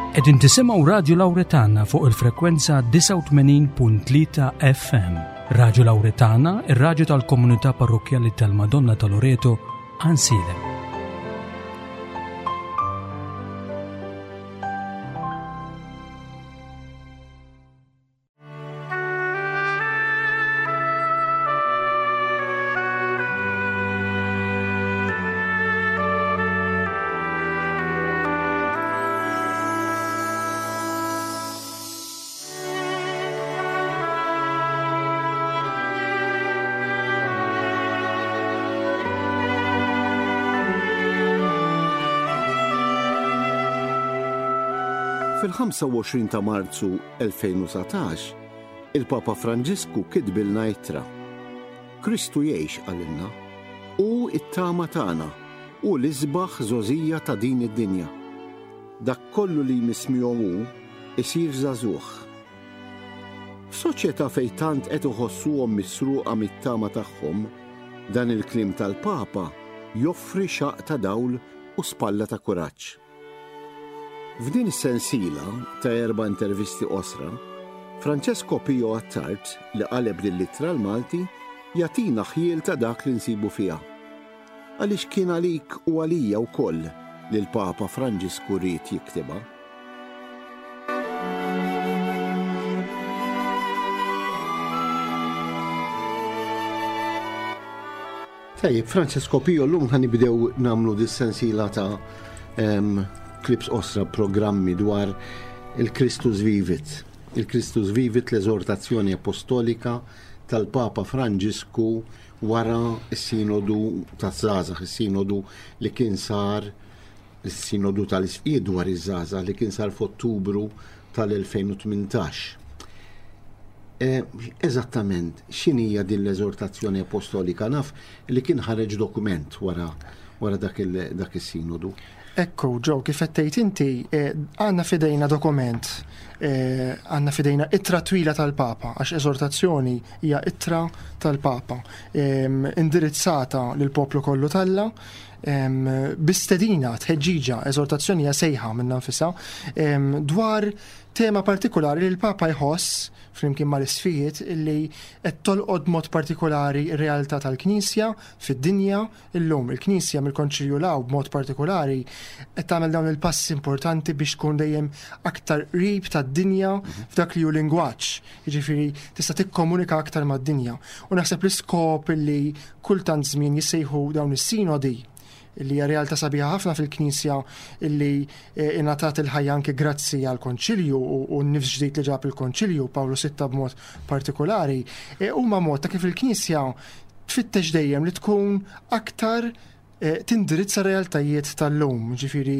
Qegħdin tisimgħu Radju Lawretana fuq il-frekwenza 89.3 FM. Radju Lawretana, ir-radju tal-komunità parrokkjali tal-Madonna ta' Loreto, Ansilem. Fil-25 ta' Marzu 2019, il-Papa Franġisku kitbilna ittra. Kristu jgħix qalilna. Hu t-tama tagħna, hu l-isbaħ żgħożija ta' din id-dinja. Dak kollu li jmiss miegħu hu, isir żagħżugħ. F'soċjetà fejn tant qed iħossuhom misruqa mit-tama tagħhom, dan il-kliem tal-Papa joffri xaqq ta' dawl u spalla ta' kuraġġ. F'din is-sensiela ta' erba' intervisti qosra, Francesco Pio Attard, li qaleb din l-ittra għall-Malti, jagħtina ħjiel ta' dak li nsibu fiha. Għaliex kien għalik u għalija wkoll li l-Papa Franġisku ried jiktibha. Tajjeb, Francesco Pio, llum ħa nibdew nagħmlu dis-sensiela ta' clips qosra programmi dwar il-Christus Vivit. Il-Christus Vivit l-eżortazzjoni apostolika tal-Papa Franġisku wara s-sinodu taż-żgħażagħ, is-sinodu li kien sar is-Sinodu tal-Isqfijiet dwar iż-żgħażagħ li kien sar f'Ottubru tal-2018. E, eżattament, x'inhija din l-eżortazzjoni apostolika naf li kien ħareġ dokument wara wara dak is-sinodu. Ekku, Joe, kif qed tgħid inti, eh, għandna fidejna dokument, eh, għandna fidejna ittra twila tal-Papa, għax eżortazzjoni hija ittra tal-Papa, indirizzata lill-poplu kollu talla, bi stedina, tħeġġiġa, eżortazzjoni hija sejħa minnha nfisha, dwar tema partikolari li l-Papa jħoss flimkien mal-isfijiet li qed tolqod mod partikolari r-realtà tal-Knisja fid-dinja illum. Il-Knisja mill-Konċilju 'l hawn b'mod partikolari qed tagħmel dawn il-passi importanti biex tkun dejjem aktar qrib tad-dinja f'dak li hu lingwaġġ. Jiġifieri tista' tikkomunika aktar mad-dinja. U naħseb l-iskop li kultant żmien jissejħu dawn is-sinodi li hija realtà sabiħa ħafna fil-Knisja illi eh, ingħatat il-ħajja anke grazzi għal konċilju u n-nifs ġdid li ġab il-konċilju Pawlu Sitta b'mod partikolari, eh, huma mod ta' kif il-Knisja tfittex dejjem li tkun aktar eh, tindirizza realtajiet tal-lum, ġifiri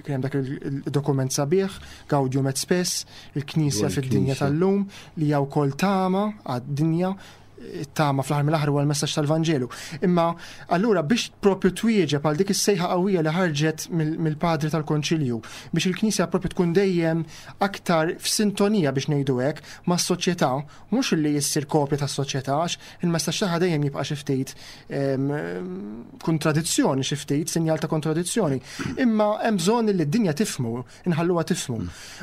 kien hemm dak il-dokument sabiħ, Gaudium et Spes, il-Knisja fid-dinja tal-lum, li hija wkoll tama għad-dinja it-tama fl-aħħar mill-aħħar huwa l-messaġġ tal-Vanġelu. Imma allura biex propju twieġeb għal dik is-sejħa qawwija li ħarġet mill-padri tal-Konċilju biex il-Knisja propju tkun dejjem aktar f'sintonija biex ngħidu hekk mas-soċjetà, mhux li jissir kopja tas-soċjetà għax il-messaġġ tagħha dejjem jibqa' xi ftit ehm, kontradizzjoni xi ftit, sinjal ta' kontradizzjoni. Imma hemm bżonn li d-dinja tifhmu, inħalluha tifhmu.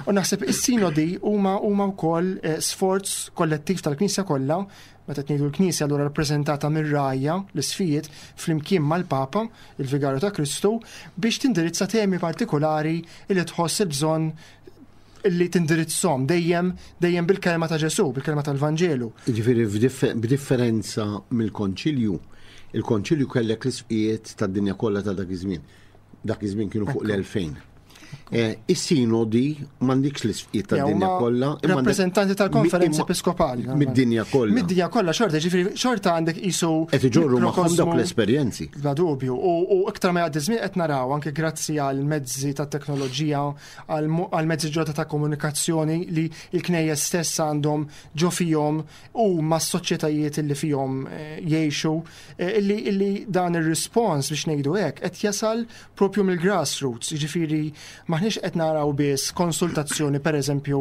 U naħseb is-sinodi huma huma wkoll eh, sforz kollettiv tal-Knisja kollha, meta qed ngħidu l-Knisja allura rappreżentata mir-rgħajja, l-isfijiet, flimkien mal-Papa, il-Vigarju ta' Kristu, biex tindirizza temi partikolari li tħoss il-bżonn li tindirizzhom dejjem dejjem bil-kelma ta' Ġesù, bil-kelma tal-Vanġelu. Jiġifieri b'differenza mill-Konċilju, il-Konċilju kellek l-isqijiet tad-dinja kollha ta' dak iż-żmien. Dak iż-żmien kienu fuq l-2000. Eh, is-sinodi m'għandikx l-isfqiet tad-dinja kollha. Rappreżentanti tal-konferenza episkopali. Mid-dinja kollha. Mid-dinja kollha xorta, ġifieri xorta għandek isu. Qed iġorru magħhom dawk l-esperjenzi. Bla dubju. U iktar ma jgħaddi żmien qed naraw anke grazzi għal mezzi ta' teknoloġija, għal mezzi ġodda ta' komunikazzjoni li l-knejjes stess għandhom ġo fihom u mas-soċjetajiet li fihom eh, jgħixu Eh, illi, illi dan ir-rispons biex ngħidu hekk qed jasal propju mill-grassroots, jiġifieri maħniex. Maħniex qed naraw biss konsultazzjoni pereżempju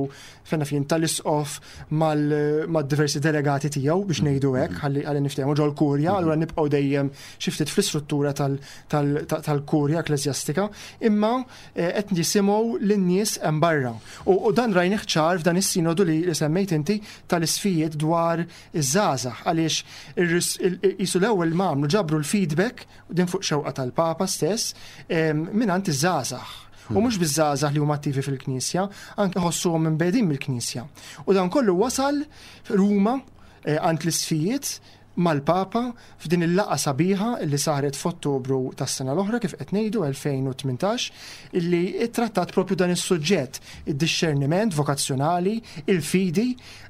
fejn naf jien tal-isqof mal-diversi delegati tiegħu biex ngħidu hekk ħalli ħalli niftehmu ġol-kurja, allura nibqgħu dejjem xi ftit fl-istruttura tal-kurja ekkleżjastika, imma eh, qed nisimgħu lin-nies hemm barra. U dan rajnih ċar f'dan is-sinodu li semmejt inti tal-isfijiet dwar iż-żgħażagħ għaliex qisu l-ewwel ma għamlu ġabru l-feedback din fuq xewqa tal-Papa stess mingħand iż-żgħażagħ. U mhux biż-żgħażagħ li huma attivi fil-Knisja, anke ħossuhom imbegħdin mill-Knisja. U dan kollu wasal Ruma eh, għand l-isfijiet mal-Papa f'din il-laqgħa sabiħa li saret f'Ottubru tas-sena l-oħra kif qed ngħidu 2018 illi ttrattat propju dan is-suġġett, id-dixxerniment vokazzjonali, il-fidi,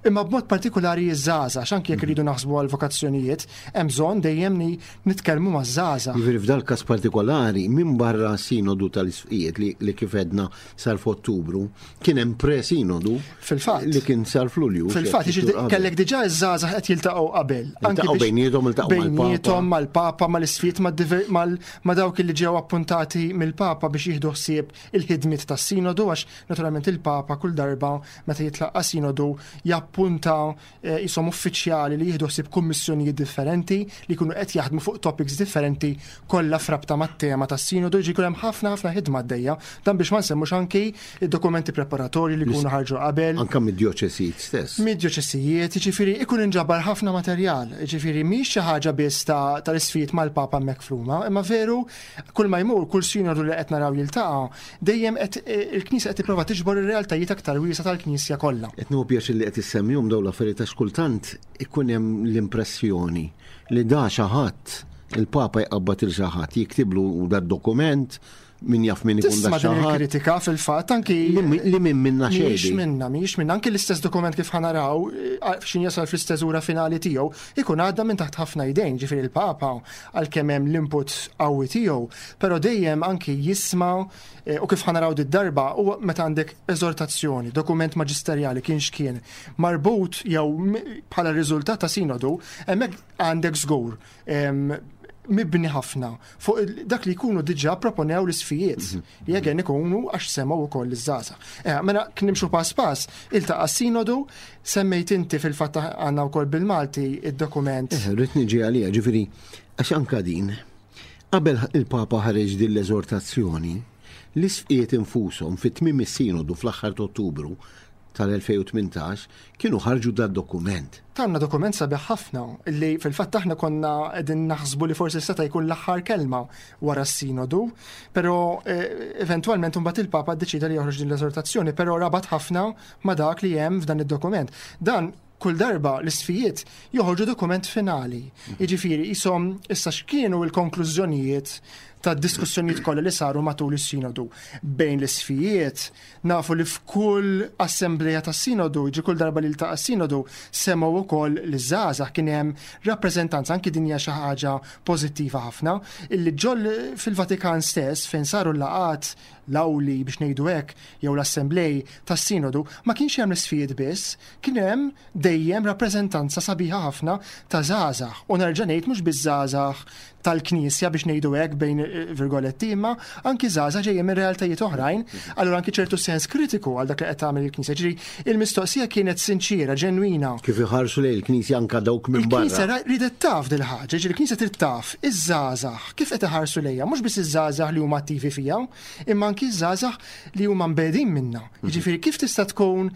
imma b'mod partikulari iż-żgħażagħ, għax anki jekk irridu naħsbu għal vokazzjonijiet, hemm bżonn dejjem li nitkellmu maż-żgħażagħ. Jiġifieri f'dal-każ partikolari, minbarra s-Sinodu tal-Isqfijiet li kif għedna sar f'Ottubru, kien hemm pre-sinodu Fil-fatt. Li kien sar f'Lulju. Fil-fatt, jiġifieri kellek diġà iż-żgħażagħ qed jiltaqgħu qabel. Anki bejniethom iltaqgħu bejniethom mal-Papa, mal-isfijiet, ma' dawk li ġew appuntati mill-Papa biex jieħdu ħsieb il-ħidmiet tas-sinodu għax naturalment il-Papa kull darba meta jitlaqqa' sinodu jappunta eh, jisom uffiċjali li jieħdu ħsieb kummissjonijiet differenti li jkunu qed jaħdmu fuq topics differenti kollha frabta mat-tema tas-sinodu, jiġi jkun hemm ħafna ħafna ħidma għaddejja. Dan biex ma nsemmux anki id-dokumenti preparatorji li jkunu ħarġu qabel. Anka mid-djoċesijiet stess. Mid-djoċesijiet, jiġifieri ikun inġabar ħafna materjal, jiġifieri mhix xi ħaġa biss tal-isfijiet mal-Papa hemmhekk f'Ruma, imma veru kull ma jmur, kull sinodu li qed naraw jiltaqa' dejjem qed il-Knisja qed tipprova tiġbor ir-realtajiet aktar wiesgħa tal-Knisja kollha. Qed nieħu pjaċir li qed issemmihom dawn l-affarijiet għax kultant ikun hemm l-impressjoni li da xi ħadd, il-Papa jqabbad il xi ħadd, jiktiblu dad-dokument, min jaf min ikun da xi ħadd. kritika fil-fatt anki li minn minna xejn. Mhijiex minna, mhijiex minna. Anki l-istess dokument kif ħanaraw x'in jasal fl-isteżura finali tiegħu, ikun għadda minn taħt ħafna idejn, ġifieri l-Papa għalkemm hemm l-input qawwi tiegħu, però dejjem anki jisma' eh, u kif ħanaraw did-darba u meta għandek eżortazzjoni, dokument maġisterjali kien x'kien marbut jew bħala riżultat ta' sinodu, hemmhekk għandek żgur mibni ħafna fuq dak li jkunu diġà proponew l-isfijiet mhm. li jegen ikunu għax semgħu wkoll iż-żgħażagħ. Eh, mela nimxu pass pass, iltaqa' sinodu, semmejt inti fil-fatt għandna wkoll bil-Malti id-dokument. Eh, rrid niġi għalija, ġifieri għax anka din qabel il-Papa ħareġ din l-eżortazzjoni, l-isfijiet infushom fit-tmiem is-sinodu fl-aħħar ta' Ottubru tal-2018 kienu ħarġu dad-dokument. Tawna dokument sabiħ ħafna li fil-fatt aħna konna qegħdin naħsbu li forsi seta' jkun l-aħħar kelma wara s-sinodu, però eh, eventwalment imbagħad il-Papa ddeċida li joħroġ din l-eżortazzjoni, però rabat ħafna ma' dak li hemm f'dan id-dokument. Dan kull darba l-isfijiet joħorġu dokument finali. Jiġifieri qishom issa x'kienu l-konklużjonijiet tad-diskussjonijiet kollha li saru matul is-sinodu bejn l-isfijiet Nafu li f'kull assembleja tas-Sinodu, jiġri kull darba li ltaqa' s-Sinodu, semgħu wkoll liż-żgħażagħ, kien hemm rappreżentanza, anki din hija xi ħaġa pożittiva ħafna, illi ġol fil-Vatikan stess fejn saru l-laqgħat, l-awli biex ngħidu hekk, jew l-assemblej tas-Sinodu, ma kienx hemm l-isfijiet biss, kien hemm dejjem rappreżentanza sabiħa ħafna ta' żgħażagħ. U nerġa' ngħid mhux biss żgħażagħ tal-Knisja biex ngħidu hekk bejn eh, virgoletti, imma anki żgħażagħ ġejjin minn realtajiet oħrajn, allura anki ċertu sens kritiku għal dak li qed tagħmel il-Knisja. Ġifieri il-mistoqsija kienet sinċiera, ġenwina. Kif iħarsu lejn il-Knisja anka dawk minn barra. Il-Knisja ridet taf dil ħaġa, ġifieri il-Knisja trid taf iż-żgħażagħ kif qed iħarsu lejha, mhux biss iż-żgħażagħ li huma attivi fiha, imma anki ż-żgħażagħ li huma mbegħdin minna. Mhm. Jiġifieri kif tista' tkun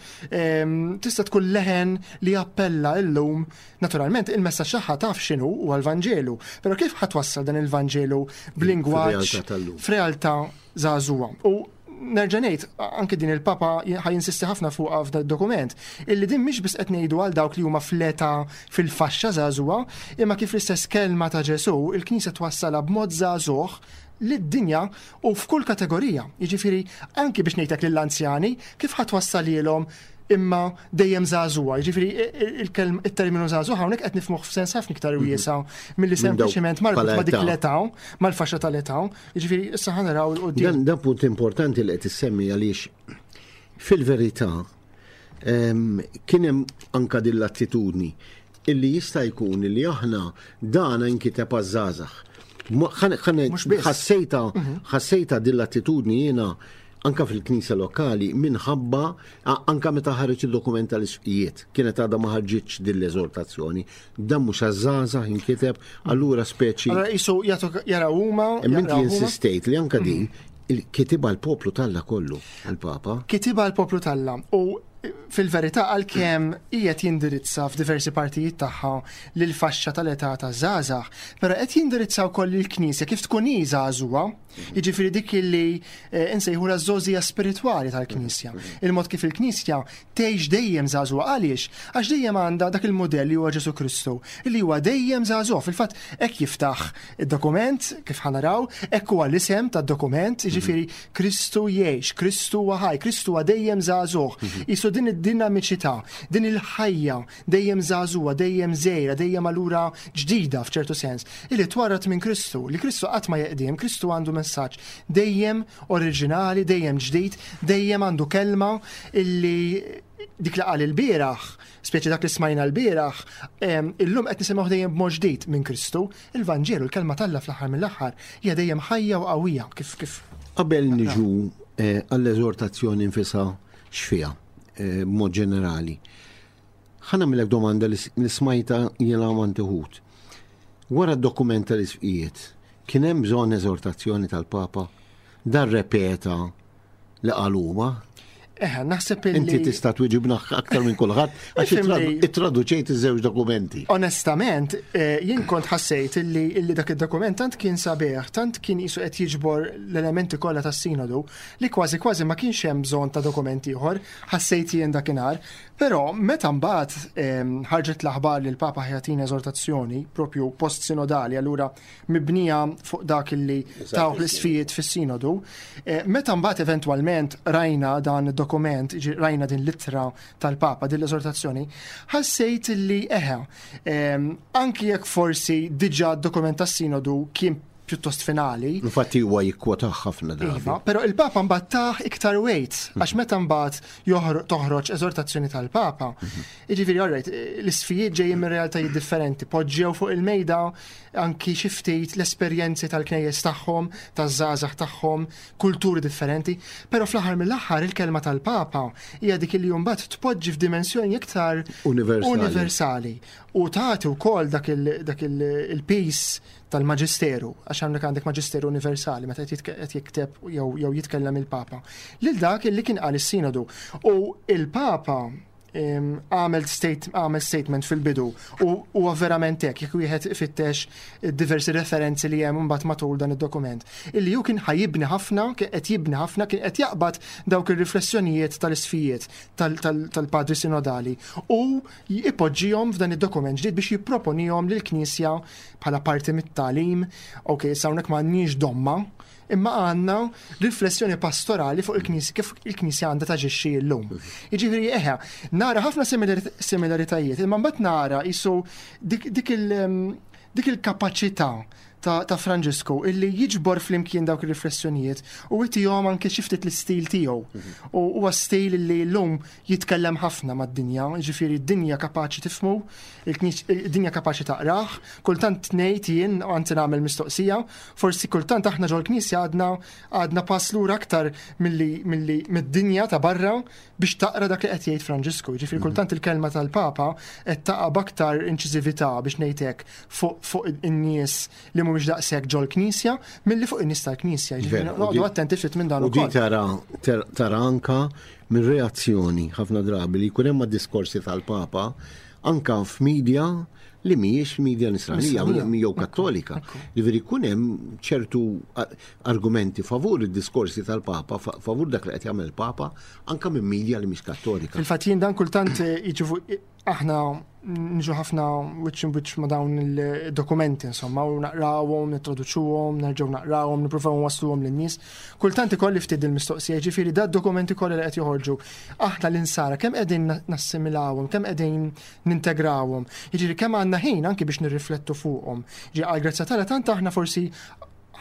tista' tkun leħen li jappella illum, naturalment il-messaġġ tagħha taf x'inhu huwa l-Vanġelu, però kif ħa twassal dan il-Vanġelu b'lingwaġġ f'realtà żagħżugħa. U nerġa' ngħid, anke din il-Papa ħa jinsisti ħafna fuqha f'dan dokument, illi din mhix biss qed ngħidu għal dawk li huma fl-età fil-faxxa żagħżugħa, imma kif l-istess kelma ta' Ġesù, il-Knisja twassalha b'mod żagħżugħ lid-dinja u f'kull kategorija. Jiġifieri anki biex ngħidlek lill-anzjani kif ħa twassalilhom imma dejjem żagħżugħa. Jiġifieri il-terminu żagħżugħ hawnhekk qed nifhmuh f'sens ħafna iktar mhm. wiesa' milli sempliċement marbut ma' dik l-età, mal-faxxa tal-età. Jiġifieri issa ħa naraw il quddiem. Dan punt importanti li qed issemmi għaliex fil-verità kien hemm anka din l-attitudni illi jista' jkun illi aħna dana inkiteb għaż-żgħażagħ. Ħassejta mhm. ħassejta din l-attitudni jiena. Anka fil-Knisja lokali minħabba anka meta ħareġ id-dokument tal-isqfijiet kienet għadha ma ħarġitx din l-eżortazzjoni. Dan mhux għaż-żgħażagħ inkiteb allura speċi. Allura qisu jagħtu jaraw huma. Imma inti insistejt li anka din mhm. kitibha l-poplu talla kollu il-Papa. Kitibha l-poplu talla u fil-verità għalkemm qiegħed jindirizza f'diversi partijiet tagħha lil faxxa tal-età ta' żgħażagħ, però qed jindirizza wkoll lill-Knisja kif tkun hi żagħżugħa. Jiġifieri dik illi eh, nsejħula ż-żgħożija spiritwali tal-Knisja. Il-mod kif il-Knisja tgħix dejjem żagħżugħa għaliex? Għax dejjem għandha dak il-mudell li huwa Ġesù Kristu, li huwa dejjem żagħżugħ. Fil-fatt hekk jiftaħ id-dokument kif ħanaraw, hekk huwa l-isem tad-dokument, jiġifieri Kristu jgħix, Kristu huwa ħaj, Kristu huwa dejjem żagħżugħ. Qisu din id-dinamiċità, din il-ħajja dejjem żagħżugħa, dejjem żgħira, dejjem allura ġdida f'ċertu sens, illi twarrad minn Kristu, li Kristu qatt ma jeqdiem, Kristu għandu messaġġ dejjem oriġinali, dejjem ġdid, dejjem għandu kelma illi dik li qal il-bieraħ, speċi dak li smajna l-bieraħ, illum qed nisimgħu dejjem b'mod ġdid minn Kristu, il-Vanġelu, il-kelma t'Alla fl-aħħar mill-aħħar, hija dejjem ħajja u qawwija kif kif. Qabel niġu eh, għall-eżortazzjoni nfisha x'fiha eh, b'mod ġenerali. Ħa nagħmilek domanda li smajta jiena għand uħud. Wara d-dokument tal-isqfijiet, kien hemm bżonn eżortazzjoni tal-Papa? Dan repeta li qal huma? Eħe, naħseb li. Inti tista' twiġibna aktar minn kulħadd għax ittraduċejt iż-żewġ dokumenti. Onestament, eh, jien kont ħassejt illi dak id-dokument tant kien sabiħ, tant kien qisu qed jiġbor l-elementi kollha tas-sinodu li kważi kważi ma kienx hemm bżonn ta' dokument ieħor, ħassejt jien dakinhar. Però meta mbagħad ehm, ħarġet l-aħbar li l-Papa ħjatina eżortazzjoni propju post-sinodali, allura mibnija fuq dak li taw l-isfijiet fis-sinodu, eh, meta mbagħad eventwalment rajna dan id-dokument, rajna din l-ittra tal-Papa, din l-eżortazzjoni, ħassejt li eħe, ehm, anki jekk forsi diġà d-dokument tas-sinodu kien pjuttost finali. Infatti huwa jikkwota ħafna drabi. Iva, però il-Papa mbagħad tah iktar weight għax meta mbagħad toħroġ eżortazzjoni tal-Papa. Mhm. Jiġifieri alright, l-isfijiet ġejjin minn realtajiet differenti, poġġew fuq il-mejda anki xi ftit l-esperjenzi tal-knejjes tagħhom, taż-żgħażagħ tagħhom, kulturi differenti, però fl-aħħar mill-aħħar il-kelma tal-Papa hija dik li mbagħad tpoġġi f'dimensjoni iktar universali u tagħti wkoll dak il-peace tal-Maġisteru, għax hawnhekk għandek Maġisteru Universali meta qed jikteb jew jitkellem il-Papa, lil dak illi kien qal is-Sinodu. U il-Papa għamel għamel statement fil-bidu u huwa verament hekk jekk wieħed ifittex diversi referenzi li hemm imbagħad matul dan id-dokument. Illi hu kien ħajibni ħafna, kien qed jibni ħafna, kien qed jaqbad dawk ir-riflessjonijiet tal-isfijiet tal-padri sinodali u ipoġġihom f'dan id-dokument ġdid biex jipproponihom lill-Knisja bħala parti mit-tagħlim. Ok, issa hawnhekk m'għandniex domma, imma għandna riflessjoni pastorali fuq il-Knisja kif il-Knisja għandha taġixxi llum. Jiġifieri eħe, nara ħafna similaritajiet, imma mbagħad nara qisu dik dik il-kapaċità ta', ta Franġisku illi jiġbor flimkien dawk ir-riflessjonijiet u jtihom anke xi ftit l-istil tiegħu. Mhm. U huwa stil illi llum jitkellem ħafna mad-dinja, jiġifieri d-dinja kapaċi tifhmu, id-dinja kapaċi taqrah, kultant ngħid jien anzi nagħmel mistoqsija, forsi kultant aħna ġol-Knisja għadna għadna pass lura aktar milli milli mid-dinja ta' barra biex taqra dak li qed jgħid Franġisku. Jiġifieri mhm. kultant il-kelma tal-Papa qed taqa' b'aktar inċiżività biex ngħid hekk fuq fuq in-nies li mhumiex daqshekk ġol-Knisja milli fuq in-nies tal-Knisja. Jiġifieri noqogħdu attenti ftit minn dan ukoll. U di tara tara anka minn reazzjoni ħafna drabi li jkun hemm diskorsi tal-Papa anka f'media li mhijiex media nisranija jew kattolika. Jiġifieri jkun hemm ċertu argumenti favur id-diskorsi tal-Papa, favur dak li qed jagħmel il-Papa, anka minn media li mhix kattolika. Fil-fatt jien dan kultant eh, jiġu aħna niġu ħafna wiċċ wiċċ ma' dawn il-dokumenti, insomma, u naqrawhom, nittraduċuhom, nerġgħu naqrawhom, nippruvaw nwasluhom lin-nies. Kultant ikolli ftit il-mistoqsija, ġifieri da dokumenti kollha li qed joħorġu. Aħna l-insara kemm qegħdin nassimilawhom, kemm qegħdin nintegrawhom. Jiġifieri kemm għandna ħin anki biex nirriflettu fuqhom. Ġi għal grazzja tagħna tant aħna forsi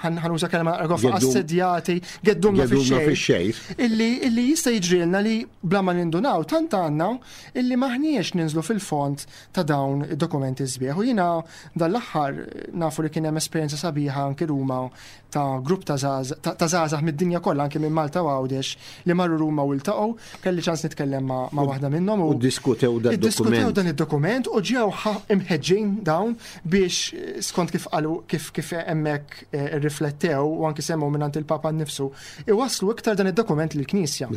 Ħanuża kelma gofa assedjati, geddumna fix-xejn. Illi illi jista' jiġrilna li bla ma nindunaw tant għandna illi maħniex ninżlu fil-fond ta' dawn id-dokumenti sbieħ. U jiena dan l-aħħar nafu li kien hemm esperjenza sabiħa anki Ruma ta' grupp ta' żgħażagħ mid-dinja kollha anke minn Malta u Għawdex li marru Ruma u ltaqgħu, kelli ċans nitkellem ma' waħda minnhom u ddiskutew dan id-dokument. dan id-dokument u ġew imħeġġin dawn biex skont kif qalu kif kif hemmhekk eh, irriflettew u anke semmew mingħand il-Papa nnifsu, iwasslu iktar dan id-dokument lill-Knisja.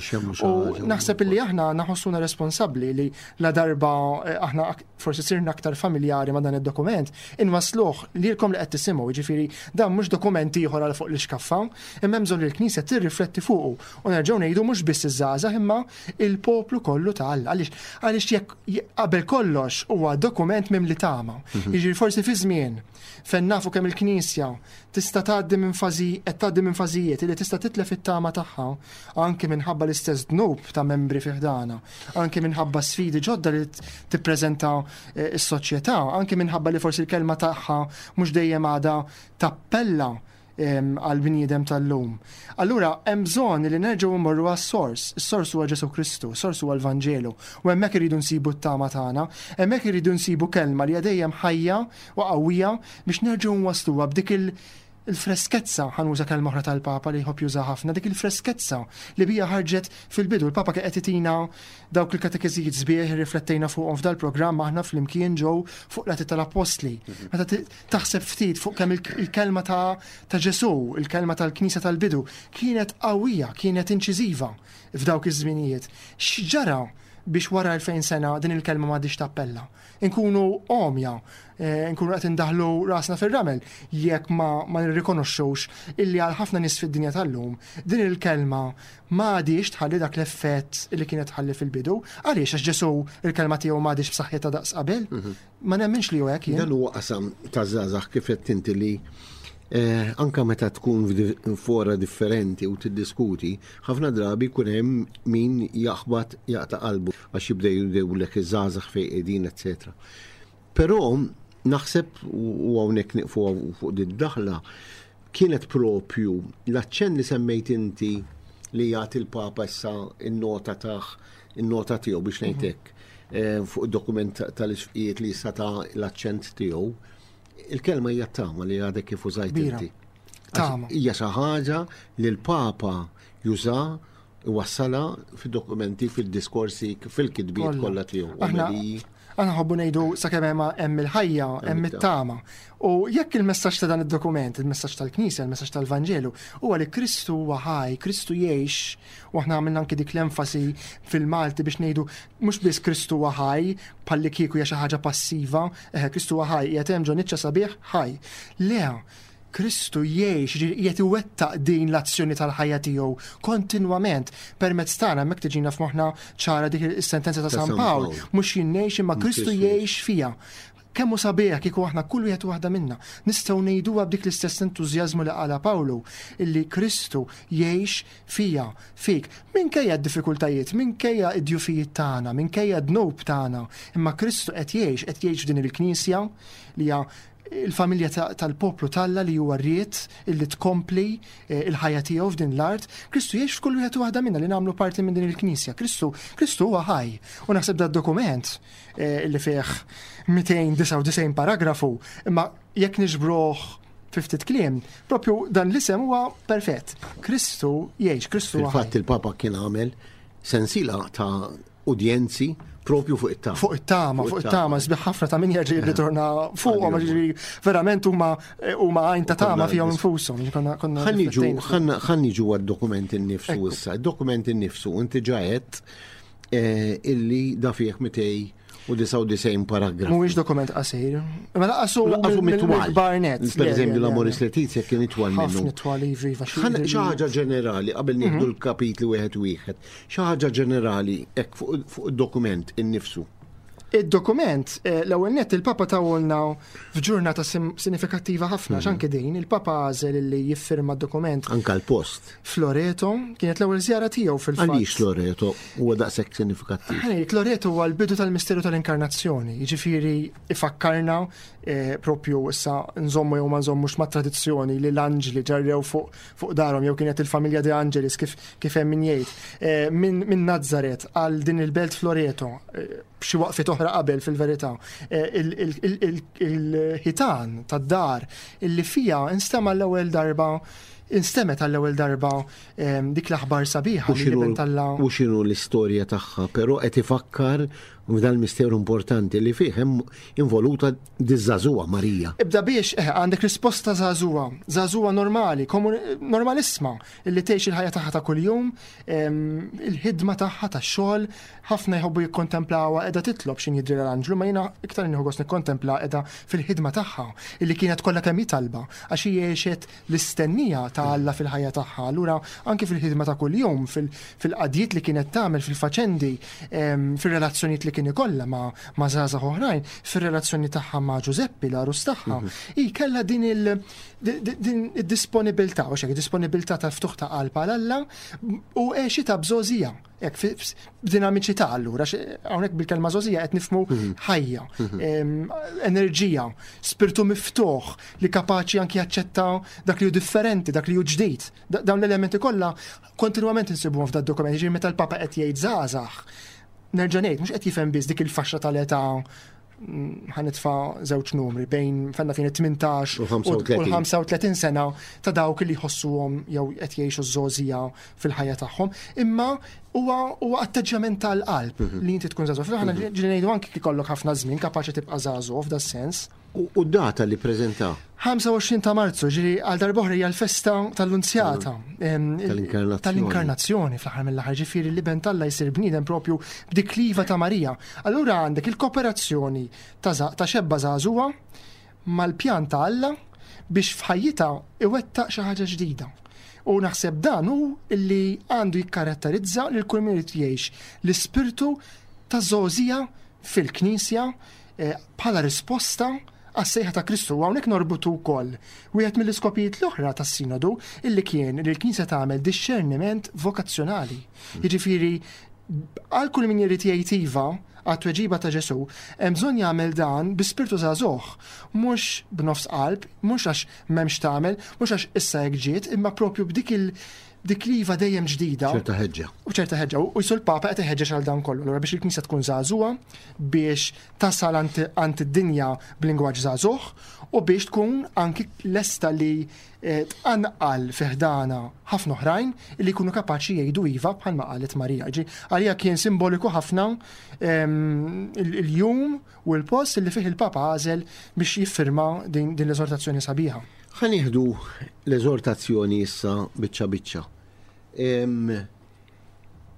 U naħseb illi aħna naħossuna responsabbli li la darba eh, aħna forsi sirna aktar familjari ma' dan id-dokument, inwassluh lilkom li qed tisimgħu, jiġifieri dan mhux dokument ieħor għal fuq l-ixkaffa, imma hemm bżonn li l-Knisja tirrifletti fuqu u nerġgħu ngħidu mhux biss iż-żgħażagħ imma il-poplu kollu ta' Alla. Għaliex għaliex jekk qabel kollox huwa dokument mimli tama. Mhm. Jiġifieri forsi fi żmien fejn nafu kemm il-Knisja tista' tgħaddi minn fażi qed tgħaddi minn fażijiet li tista' titlef it-tama tagħha anke minħabba l-istess dnub ta' membri fi ħdana, anke minħabba sfidi ġodda li tippreżenta eh, s-soċjetà, anke minħabba li forsi l-kelma tagħha mhux dejjem għadha tappella għal bniedem tal-lum. Allura hemm bżonn li nerġgħu mmorru għas-sors. Is-sors huwa Ġesù Kristu, is-sors huwa l-Vanġelu. U hemmhekk irridu nsibu t-tama tagħna, hemmhekk irridu nsibu kelma li hija dejjem ħajja u qawwija biex nerġgħu nwassluha b'dik il- il-freskezza, ħa nuża kelma oħra tal-Papa li jħobb juża ħafna, dik il-freskezza li bija ħarġet fil-bidu. Il-Papa kien qed itina dawk il-katekeżijiet sbieħ riflettejna fuqhom f'dal-programm aħna flimkien ġew fuq l-Atti tal-Appostli. Mhm. Meta taħseb ftit fuq kemm il-kelma ta' Ġesù, il-kelma tal-Knisja tal-bidu, kienet qawwija, kienet inċiżiva f'dawk iż-żminijiet. X'ġara biex wara 2000 sena din il-kelma m'għadhiex tappella? Inkunu għomja, eh, nkunu qed indaħlu rasna fir-ramel jekk ma, ma nirrikonoxxux illi għal ħafna nies fid-dinja tal-lum din il-kelma ma għadix tħalli dak l-effett li kienet tħalli fil-bidu. Għaliex għax Ġesu il-kelma tiegħu ma għadix b'saħħitha daqs qabel? Mhm. Ma nemminx li hu hekk jien. Dan huwa qasam ta' żgħażagħ kif qed inti li eh, anka meta tkun fora differenti u tiddiskuti, ħafna drabi jkun hemm min jaħbat jaqta' qalbu għax jibda jgħidulek iż-żgħażagħ fejn qegħdin, eċetera. Però naħseb u hawnhekk nieqfu fuq din daħla kienet propju l-aċċenn li semmejt inti li jagħti l-Papa issa in-nota taħ in-nota tiegħu biex ngħid mhm. hekk eh, fuq id-dokument tal-isfqijiet li issa ta' l-aċċent tiegħu. Il-kelma hija tama li għadek kif użajt inti. Tama. Hija xi ħaġa li l-Papa juża iwassalha fid-dokumenti, fid-diskorsi, fil-kitbiet kollha tiegħu. Aħna aħna ħobbu ngħidu sakemm hemm hemm il-ħajja, hemm it-tama. U jekk il-messaġġ ta' dan id-dokument, il-messaġġ tal-Knisja, il-messaġġ tal-Vanġelu, huwa li Kristu huwa ħaj, Kristu jgħix, u aħna għamilna anki dik l-enfasi fil-Malti biex ngħidu mhux biss Kristu huwa ħaj, bħalli kieku hija xi ħaġa passiva, eħe Kristu huwa ħaj, qiegħed hemm ġo niċċa sabiħ ħaj. Le, Kristu jgħix, jiġifieri qiegħed iwettaq din l-azzjoni tal-ħajja tiegħu kontinwament permezz tagħna hemmhekk tiġina f'moħħna ċara dik is-sentenza ta' San Pawl, mhux jien ngħix imma Kristu jgħix fija. Kemm hu sabiħ kieku aħna kull wieħed u waħda minna nistgħu ngħiduha b'dik l-istess entużjażmu li qalha Pawlu illi Kristu jgħix fija, fik, minkejja d-diffikultajiet, minkejja d-djufijiet tagħna, minkejja d-dnub tagħna, imma Kristu qed jgħix, qed jgħix f'din il-Knisja li hija il-familja tal-poplu t'Alla li huwa ried illi tkompli eh, il-ħajja tiegħu f'din l-art, Kristu jgħix f'kull wieħed u waħda minna li nagħmlu parti minn din il-Knisja. Kristu, Kristu huwa ħaj. U naħseb da dokument eh, li fih 299 paragrafu, imma jekk niġbruh fi ftit kliem, propju dan l-isem huwa perfett. Kristu jgħix, Kristu huwa. Fil-fatt il-Papa kien għamel sensila ta' udjenzi propju fuq it-tama. Fuq it-tama, fuq it-tama, sbiħ ħafna ta' min jerġa' jirritorna fuqhom, ġifieri verament huma huma għajn ta' tama fihom infushom. Ħa niġu għad-dokument innifsu issa. Id-dokument innifsu inti ġa għedt eh, illi da fih 299 paragraf. Mhuwiex dokument qasir. Ma laqasu laqasu mitwal. Barnet. Per eżempju, l-Amoris Letizia kien itwal minnu. Ħafna itwal, iva, iva. Xi ħaġa ġenerali qabel nieħdu mhm. l-kapitli wieħed wieħed. Xi ħaġa ġenerali hekk fuq id-dokument innifsu. Id-dokument, eh, l-ewwel nett il-Papa tawolna f'ġurnata sinifikattiva ħafna, mhm. x'anke din, il-Papa għażel li jiffirma d-dokument. Anka l-post. F'Loreto, kienet l-ewwel żjara tiegħu fil-fatt. Għaliex Loreto huwa daqshekk sinifikattiv? Ħanejt, Loreto huwa l-bidu tal-misteru tal-inkarnazzjoni, jiġifieri ifakkarna eh, propju issa nżommu jew ma nżommux ma' tradizzjoni li l-anġli ġarrew fuq fuq darhom jew kienet il-familja De Angelis kif kif hemm min jgħid. Eh, minn min Nazzaret għal din il-belt Floreto, eh, b'xi waqfiet oħra qabel fil-verità, eh, il-ħitan tad-dar illi fija instema' l-ewwel darba instemet għall-ewwel darba ehm, dik l-aħbar sabiħa li l U x'inhu l-istorja tagħha, però qed ifakkar f'dan misteru importanti li fih hemm involuta diż-żagħżugħa Marija. Ibda biex eh, għandek risposta żagħżugħa, żagħżugħa normali, normalissma, illi tgħix il-ħajja tagħha ta' kuljum, il-ħidma tagħha tax-xogħol, ħafna jħobbu jikkontemplawha qiegħda titlob x'in jidri l-anġlu, ma jiena iktar nieħu gost nikkontempla qiegħda fil-ħidma tagħha, illi kienet kollha kemm hi talba, għax hi għexet l-istennija ta' Alla fil-ħajja tagħha. Allura anki fil-ħidma ta' kuljum, fil-qadjiet li kienet tagħmel, fil-faċendi, fir-relazzjonijiet li kien ikollha ma' żgħażagħ oħrajn, fir-relazzjoni tagħha ma' Ġużeppi, l-għarus tagħha, mhm. hi kellha din il- din id-disponibilità, u xek, disponibilità ta' ftuħ ta' qalb għal Alla u għexita bżożija. Hekk b'dinamiċità allura, hawnhekk bil-kelma żgħożija qed nifhmu mhm. ħajja, mhm. enerġija, spirtu miftuħ li kapaċi anki jaċċetta dak li hu differenti, dak li hu ġdid. Dawn l-elementi kollha kontinwament insibuhom f'dak dokument, jiġifieri meta l-Papa qed jgħid żgħażagħ, nerġa' ngħid mhux qed jifhem biss dik il-faxxa tal-età ħanitfa żewġ numri bejn fenna fejn 18 u 35 sena ta' dawk li jħossuhom jew qed jgħixu żgħożija fil-ħajja tagħhom, imma huwa huwa atteġġjament tal-qalb mhm. li inti tkun żagħżugħ. Fil-ħana mhm. ġieli ngħidu anki kikollok ħafna żmien kapaċi tibqa' żagħżugħ f'da sens. U d-data li preżenta? 25 ta' Marzu, ġiri għal darbohra hija l-festa tal-Lunzjata. Tal-inkarnazzjoni. Tal-inkarnazzjoni fl-aħħar mill-aħħar, ġifieri li ben Alla jsir bniedem propju b'dik l-iva ta' Marija. Allura għandek il-kooperazzjoni ta' xebba żagħżugħa mal-pjan ta' Alla biex f'ħajjitha iwettaq xi ħaġa ġdida. U naħseb dan hu li għandu jikkaratterizza lil kull min irid jgħix l-ispirtu ta' żgħożija fil-Knisja eh, bħala risposta għas-sejħa ta' Kristu. U hawnhekk norbutu wkoll wieħed mill-iskopijiet l-oħra tas-Sinodu illi kien li l-Knisja tagħmel dixxerniment vokazzjonali. Jiġifieri għal kull min irid jgħid iva għat-tweġiba ta' Ġesù, hemm bżonn jagħmel dan bi spirtu żagħżugħ, mhux b'nofs qalb, mhux għax m'hemmx tagħmel, mhux għax issa hekk ġiet, imma propju b'dik il dik l-iva dejjem ġdida. ċerta ħeġġa. U ċerta ħeġġa. U jisu l-Papa qed iħeġġeġ għal dan kollu. Allura biex il-Knisja tkun żagħżugħa, biex tasal għand id-dinja b'lingwaġġ żagħżugħ u biex tkun anki lesta li eh, tqanqal fi ħdana ħafna oħrajn li jkunu kapaċi jgħidu iva bħalma qalet Marija. Ġi, għalija kien simboliku ħafna ehm, il-jum u l-post li fih il-Papa għażel biex jiffirma din l-eżortazzjoni sabiħa. Ħa nieħdu l-eżortazzjoni issa biċċa biċċa.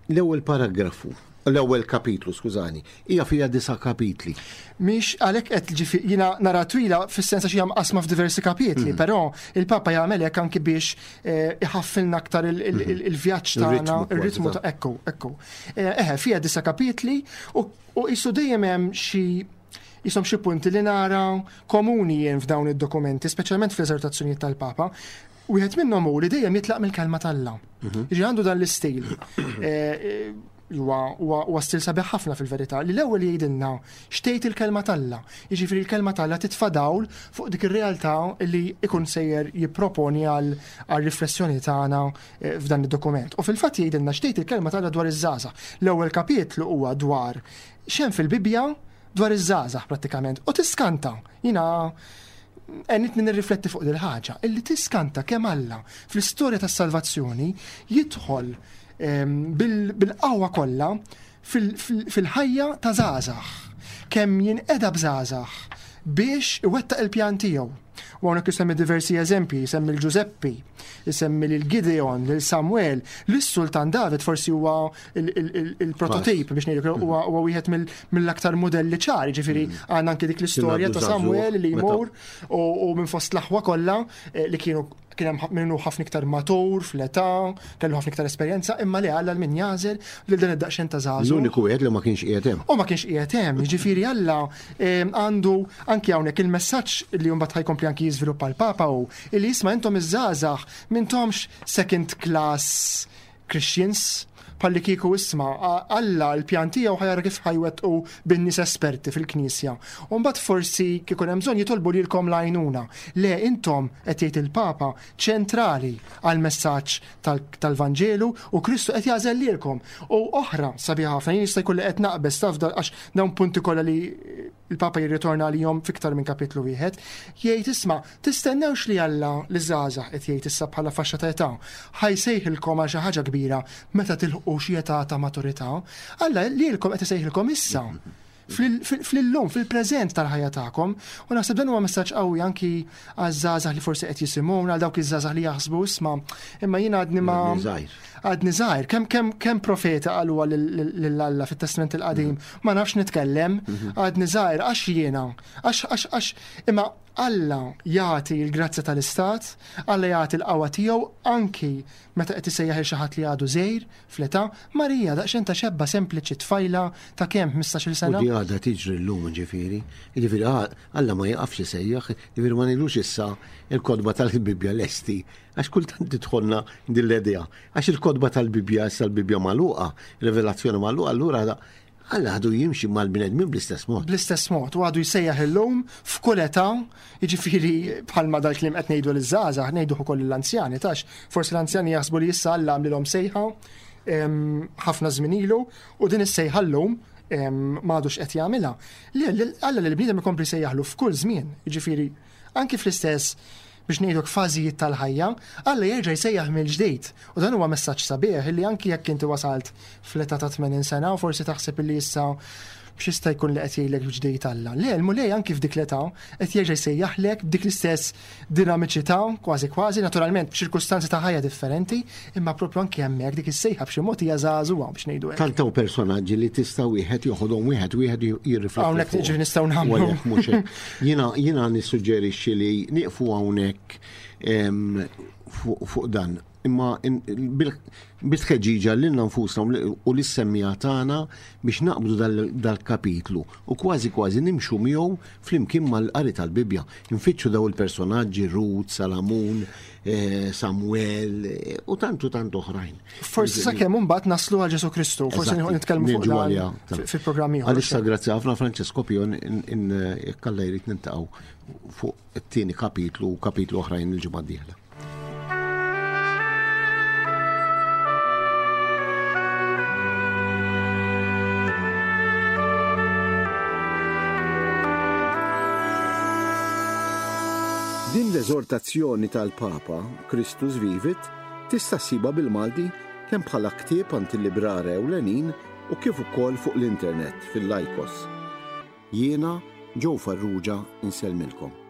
L-ewwel paragrafu, l-ewwel kapitlu, skużani, hija fiha disa' kapitli. Mhix għalhekk qed ġifi jiena nara twila fis-sens għax hija mqasma f'diversi kapitli, mhm. però il-Papa jagħmel hekk anki biex eh, iħaffilna aktar mhm. il-vjaġġ tagħna, ir-ritmu ta' ekku, ekku. Eh, eħe, fiha disa' kapitli u qisu dejjem hemm xi jisom xi punti li nara komuni jien f'dawn id-dokumenti, speċjalment fl-eżortazzjonijiet tal-Papa. Wieħed minnhom hu li dejjem jitlaq mill-kelma t'Alla. Mhm. Jiġi għandu dan l-istil. Eh, eh, huwa stil sabiħ ħafna fil-verità li l-ewwel jgħidilna xtejt il-kelma t'Alla. Jiġifieri l-kelma t'Alla titfa' dawl fuq dik ir-realtà li ikun sejjer jipproponi għal riflessjoni tagħna eh, f'dan id-dokument. U fil-fatt jgħidilna xtejt il-kelma t'Alla dwar iż-żgħażagħ. L-ewwel kapitlu huwa dwar x'hemm fil-Bibbja dwar iż-żgħażagħ prattikament. U tiskanta, jiena għenitni nirrifletti fuq dil-ħaġa, illi tiskanta kemm Alla fl-istorja tas-salvazzjoni jidħol ehm, bil-qawwa kollha fil-ħajja ta' żgħażagħ. Kemm jinqeda b'żgħażagħ biex iwettaq il-pjan tiegħu. U hawnhekk isemmi diversi eżempji, jsemmi l-Ġużeppi, isemmi lil Gideon, lil Samuel, lis-Sultan David forsi huwa il-prototip biex ngħidu huwa wieħed mill-aktar mudelli ċari, ġifieri mm. għandna anke dik l-istorja ta' Samuel li jmur u minn fost l-aħwa kollha eh, li kienu Kien hemm min hu ħafna iktar matur fl-età, kellu ħafna iktar esperjenza, imma le Alla min jagħżel lil dan id-daqsxejn ta' żagħżugħ. L-uniku wieħed li ma kienx qiegħed hemm. U ma kienx qiegħed hemm, jiġifieri Alla għandu anki hawnhekk il-messaġġ li mbagħad ħajkompli anki jiżviluppa l-Papa hu illi jisma' intom iż-żgħażagħ m'intomx second class Christians, bħalli kieku isma' Alla l-pjan tiegħu ħajara kif ħajwettqu bin-nies esperti fil-Knisja. U mbagħad forsi kieku hemm bżonn jitolbu lilkom l-għajnuna. Le intom qed jgħid il-Papa ċentrali għall-messaġġ tal-Vanġelu u Kristu qed jagħżel lilkom. U oħra sabiħa ħafna, jien jista' jkun li qed naqbeż taf għax dawn punti kollha li il-Papa jirritorna għalihom f'iktar minn kapitlu wieħed, jgħid isma' tistennewx li Alla liż-żgħażagħ qed jgħid issa bħala faxxa ta' età ħa jsejħilkom għal xi ħaġa kbira meta tilħqu xi età ta' maturità. Alla lilkom qed isejħilkom issa fl-illum, fil-preżent tal-ħajja tagħkom. U naħseb dan huwa messaġġ qawwi anki għaż-żgħażagħ li forsi qed jisimgħuna, għal dawk iż-żgħażagħ li jaħsbu isma' imma jien għadni ma għadni żgħir. Kemm kemm kemm profeta qaluha lil Alla fit-Testament il-Qadim, mhm. ma nafx nitkellem, mhm. għadni żgħir għax jiena, għax għax għax imma Alla jagħti l-grazzja tal-istat, Alla jagħti l-qawwa tiegħu anki meta qed isejjaħ il xi ħadd li għadu żgħir fl-età. Marija daqsxejn ta' xebba sempliċi tfajla ta' kemm 15-il sena. U di għadha tiġri llum ġifieri. Ġifieri Alla ma jaqafx isejjaħ, ġifieri ma ngħidux issa il-kotba tal-Bibbja lesti Għax kultant tidħolna din l-idea. Għax il-kotba tal-Bibbja issa l-Bibbja magħluqa, rivelazzjoni magħluqa, allura Alla għadu jimxi mal-bnedmin bl-istess mod. Bl-istess mod, u għadu jsejjaħ illum f'kull età, jiġifieri bħalma dal-kliem qed ngħidu liż-żgħażagħ, ngħiduh ukoll lill-anzjani, tax forsi l-anzjani jaħsbu li issa Alla għamlilhom sejħa ħafna żmien ilu u din is-sejħa llum ma għadux qed jagħmilha. Le, Alla lill-bniedem ikompli jsejjaħlu f'kull żmien, jiġifieri anki fl-istess biex ngħiduk fażijiet tal-ħajja, Alla jerġa' jsejjaħ mill-ġdid. U dan huwa messaġġ sabiħ illi anki jekk inti wasalt fl-età ta' 80 sena u forsi taħseb illi issa x'jista' jkun li qed jgħidlek ġdid Alla. Le, l-Mulej anki f'dik l-età qed jerġa' jsejjaħlek b'dik l-istess dinamiċità, kważi kważi, naturalment b'ċirkustanzi ta' ħajja differenti, imma propju anki hemmhekk dik is-sejħa b'xi mod hija żagħżugħa biex ngħidu hekk. Tant hawn personaġġi li tista' wieħed joħodhom wieħed wieħed jirrifletti. Hawnhekk ġifieri nistgħu nagħmlu. Mhux hekk. Jiena jiena nissuġġerixxi li nieqfu hawnhekk fuq dan. Imma bit-tħeġġiġa lilna nfusna u lis-semmiegħa tagħna biex naqbdu dal-kapitlu u kważi kważi nimxu miegħu flimkien mal-qari tal-Bibbja. Nfittxu daw il-personaġġi Rut, Salamun, eh, Samuel eh, u tant u tant oħrajn. Forsi sakemm imbagħad naslu għal Ġesu Kristu, forsi nitkellmu fuq dan fil-programm ieħor. Għalissa grazzi ħafna Francesco Pion jekk Alla jrid nintaqgħu fuq it-tieni kapitlu u kapitlu oħrajn il-ġimgħa d-dieħla. Din l-eżortazzjoni tal-Papa, Christus Vivit, tista' ssibha bil-Malti kemm bħala ktieb għand il-librara ewlenin u kif ukoll fuq l-internet fil-Lycos. Jiena, Joe Farrugia, insellmilkom.